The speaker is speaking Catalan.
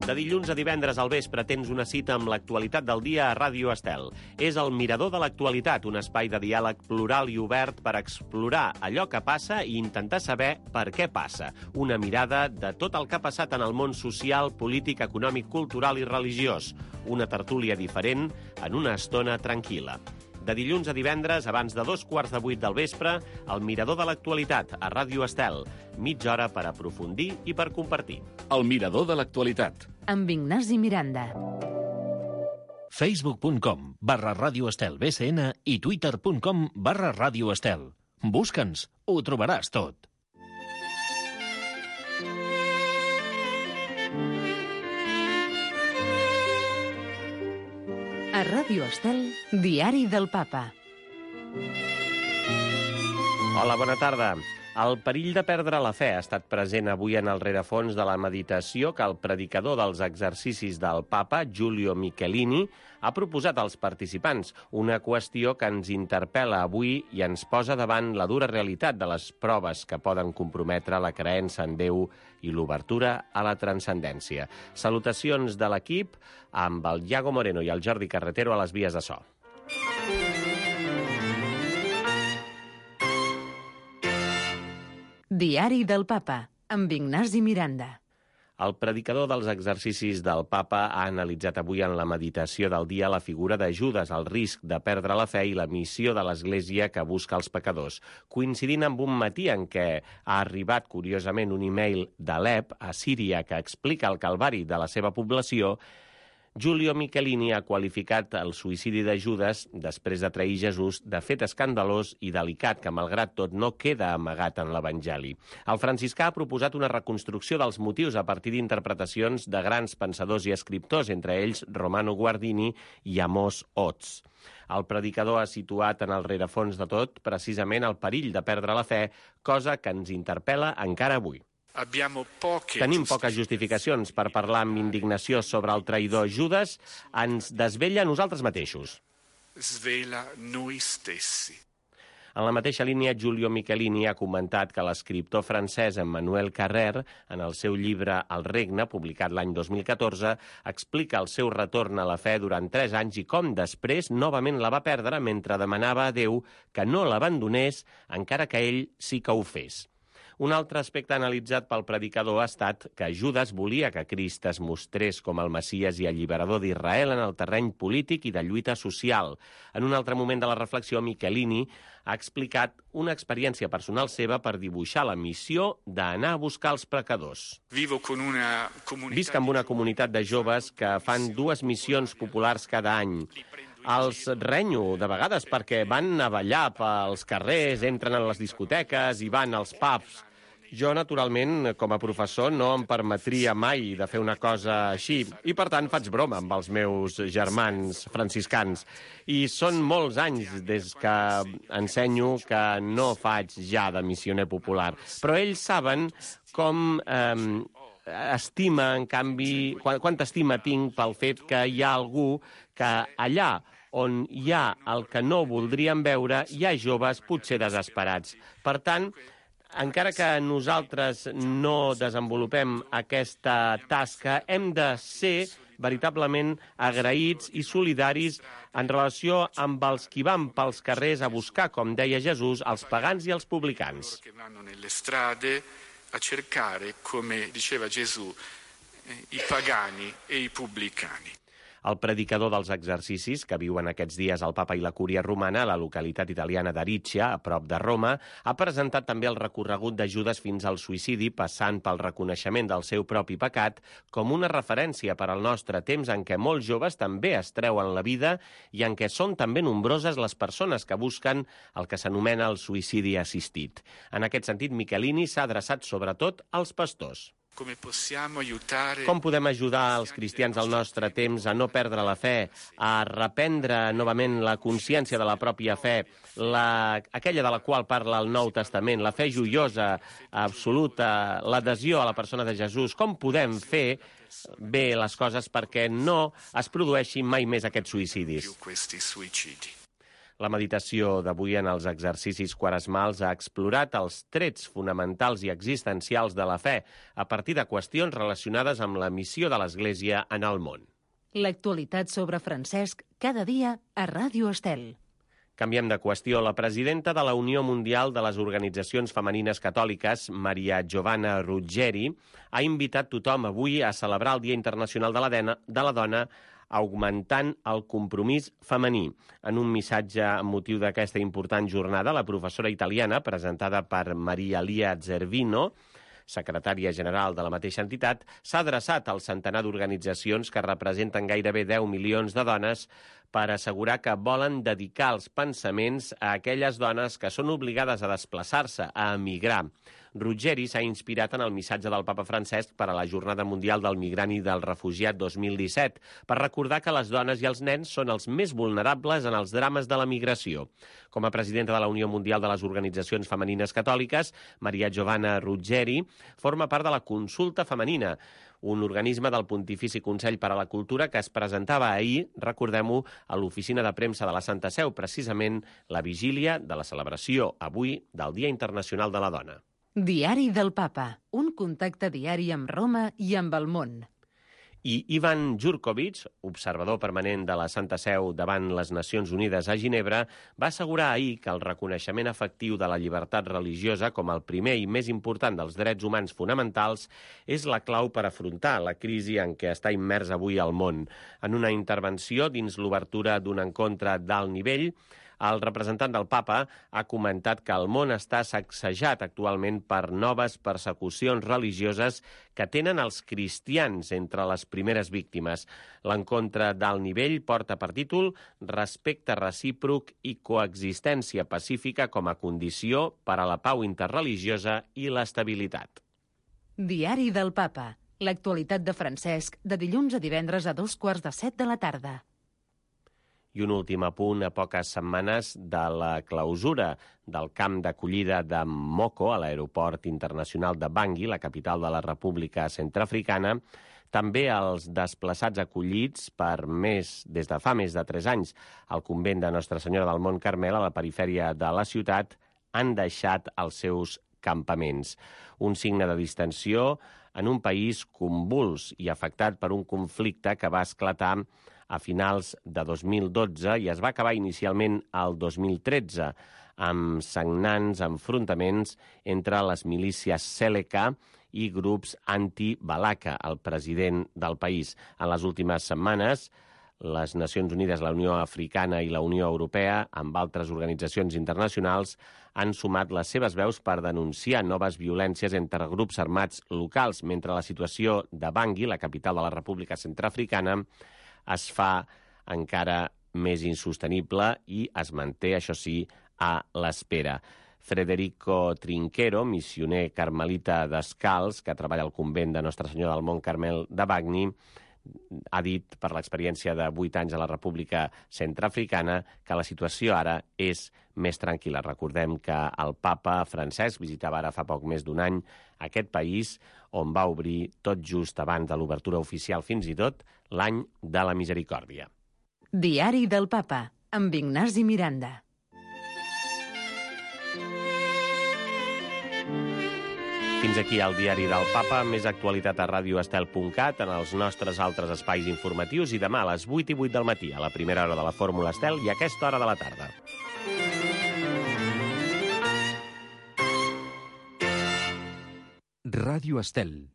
De dilluns a divendres al vespre tens una cita amb l'actualitat del dia a Ràdio Estel. És el Mirador de l'Actualitat, un espai de diàleg plural i obert per explorar allò que passa i intentar saber per què passa. Una mirada de tot el que ha passat en el món social, polític, econòmic, cultural i religiós. Una tertúlia diferent en una estona tranquil·la. De dilluns a divendres, abans de 7:15 del vespre, el Mirador de l'Actualitat, a Ràdio Estel. Mitja hora per aprofundir i per compartir. El Mirador de l'Actualitat. Amb Ignasi Miranda. Facebook.com/Ràdio Estel BCN i Twitter.com/Ràdio Estel. Busca'ns, ho trobaràs tot. A Ràdio Estel, Diari del Papa. Hola, bona tarda. El perill de perdre la fe ha estat present avui en el rerefons de la meditació que el predicador dels exercicis del Papa, Giulio Michelini, ha proposat als participants, una qüestió que ens interpel·la avui i ens posa davant la dura realitat de les proves que poden comprometre la creença en Déu i l'obertura a la transcendència. Salutacions de l'equip amb el Iago Moreno i el Jordi Carretero a les vies de so. Diari del Papa, amb Ignasi Miranda. El predicador dels exercicis del Papa ha analitzat avui en la meditació del dia la figura de Judes, el risc de perdre la fe i la missió de l'Església que busca els pecadors, coincidint amb un matí en què ha arribat, curiosament, un e-mail d'Alep, a Síria, que explica el calvari de la seva població. Giulio Michelini ha qualificat el suïcidi de Judes, després de trair Jesús, de fet escandalós i delicat que, malgrat tot, no queda amagat en l'Evangeli. El franciscà ha proposat una reconstrucció dels motius a partir d'interpretacions de grans pensadors i escriptors, entre ells Romano Guardini i Amos Oz. El predicador ha situat en el rerefons de tot precisament el perill de perdre la fe, cosa que ens interpel·la encara avui. Tenim poques justificacions per parlar amb indignació sobre el traïdor. Judes ens desvella a nosaltres mateixos. En la mateixa línia, Giulio Michelini ha comentat que l'escriptor francès Emmanuel Carrère, en el seu llibre El regne, publicat l'any 2014, explica el seu retorn a la fe durant 3 anys i com després novament la va perdre mentre demanava a Déu que no l'abandonés, encara que ell sí que ho fes. Un altre aspecte analitzat pel predicador ha estat que Judes volia que Crist es mostrés com el Messies i alliberador d'Israel en el terreny polític i de lluita social. En un altre moment de la reflexió, Michelini ha explicat una experiència personal seva per dibuixar la missió d'anar a buscar els pecadors. Visc amb una comunitat de joves que fan 2 missions populars cada any. Els renyo de vegades perquè van a ballar pels carrers, entren a les discoteques i van als pubs. Jo, naturalment, com a professor, no em permetria mai de fer una cosa així i, per tant, faig broma amb els meus germans franciscans. I són molts anys des que ensenyo que no faig ja de missioner popular. Però ells saben com estima, en canvi, quanta estima tinc pel fet que hi ha algú que allà on hi ha el que no voldríem veure, hi ha joves potser desesperats. Per tant, encara que nosaltres no desenvolupem aquesta tasca, hem de ser veritablement agraïts i solidaris en relació amb els qui van pels carrers a buscar, com deia Jesús, els pagans i els publicans. A cercare, come diceva Gesù, i pagani e i pubblicani. El predicador dels exercicis, que viuen aquests dies el Papa i la Cúria Romana a la localitat italiana d'Ariccia, a prop de Roma, ha presentat també el recorregut de Judes fins al suïcidi, passant pel reconeixement del seu propi pecat, com una referència per al nostre temps en què molts joves també es treuen la vida i en què són també nombroses les persones que busquen el que s'anomena el suïcidi assistit. En aquest sentit, Michelini s'ha adreçat sobretot als pastors. Com podem ajudar els cristians del nostre temps a no perdre la fe, a reprendre novament la consciència de la pròpia fe, aquella de la qual parla el Nou Testament, la fe joiosa, absoluta, l'adhesió a la persona de Jesús? Com podem fer bé les coses perquè no es produeixin mai més aquests suïcidis? La meditació d'avui en els exercicis quaresmals ha explorat els trets fonamentals i existencials de la fe a partir de qüestions relacionades amb la missió de l'Església en el món. L'actualitat sobre Francesc cada dia a Ràdio Estel. Canviem de qüestió. La presidenta de la Unió Mundial de les Organitzacions Femenines Catòliques, Maria Giovanna Ruggeri, ha invitat tothom avui a celebrar el Dia Internacional de la Dona augmentant el compromís femení. En un missatge amb motiu d'aquesta important jornada, la professora italiana, presentada per Maria Lia Zervino, secretària general de la mateixa entitat, s'ha adreçat al centenar d'organitzacions que representen gairebé 10 milions de dones per assegurar que volen dedicar els pensaments a aquelles dones que són obligades a desplaçar-se, a emigrar. Ruggeri s'ha inspirat en el missatge del papa Francesc per a la Jornada Mundial del Migrant i del Refugiat 2017, per recordar que les dones i els nens són els més vulnerables en els drames de la migració. Com a presidenta de la Unió Mundial de les Organitzacions Femenines Catòliques, Maria Giovanna Ruggeri forma part de la Consulta Femenina, un organisme del Pontifici Consell per a la Cultura que es presentava ahir, recordem-ho, a l'oficina de premsa de la Santa Seu, precisament la vigília de la celebració avui del Dia Internacional de la Dona. Diari del Papa, un contacte diari amb Roma i amb el món. I Ivan Jurkovic, observador permanent de la Santa Seu davant les Nacions Unides a Ginebra, va assegurar ahir que el reconeixement efectiu de la llibertat religiosa com el primer i més important dels drets humans fonamentals és la clau per afrontar la crisi en què està immers avui el món. En una intervenció dins l'obertura d'un encontre d'alt nivell, el representant del papa ha comentat que el món està sacsejat actualment per noves persecucions religioses que tenen els cristians entre les primeres víctimes. L'encontre d'alt nivell porta per títol Respecte recíproc i coexistència pacífica com a condició per a la pau interreligiosa i l'estabilitat. Diari del Papa. L'actualitat de Francesc de dilluns a divendres a 6:45 de la tarda. I un últim apunt a poques setmanes de la clausura del camp d'acollida de Moko a l'aeroport internacional de Bangui, la capital de la República Centreafricana. També els desplaçats acollits des de fa més de 3 anys al convent de Nostra Senyora del Mont Carmel a la perifèria de la ciutat han deixat els seus campaments. Un signe de distensió en un país convuls i afectat per un conflicte que va esclatar a finals de 2012 i es va acabar inicialment al 2013 amb sagnants enfrontaments entre les milícies Seleka i grups anti-Balaka, el president del país. En les últimes setmanes, les Nacions Unides, la Unió Africana i la Unió Europea, amb altres organitzacions internacionals, han sumat les seves veus per denunciar noves violències entre grups armats locals, mentre la situació de Bangui, la capital de la República Centreafricana, es fa encara més insostenible i es manté, això sí, a l'espera. Federico Trinquero, missioner carmelita descalç, que treballa al convent de Nostra Senyora del Mont Carmel de Bangui, ha dit per l'experiència de 8 anys a la República Centreafricana que la situació ara és més tranquil·la. Recordem que el papa Francesc visitava ara fa poc més d'un any aquest país, on va obrir tot just abans de l'obertura oficial, fins i tot, l'any de la Misericòrdia. Diari del Papa, amb Ignasi Miranda. Fins aquí el Diari del Papa, més actualitat a radioestel.cat, en els nostres altres espais informatius, i demà a les 8:08 del matí, a la primera hora de la Fórmula Estel i a aquesta hora de la tarda. Ràdio Estel.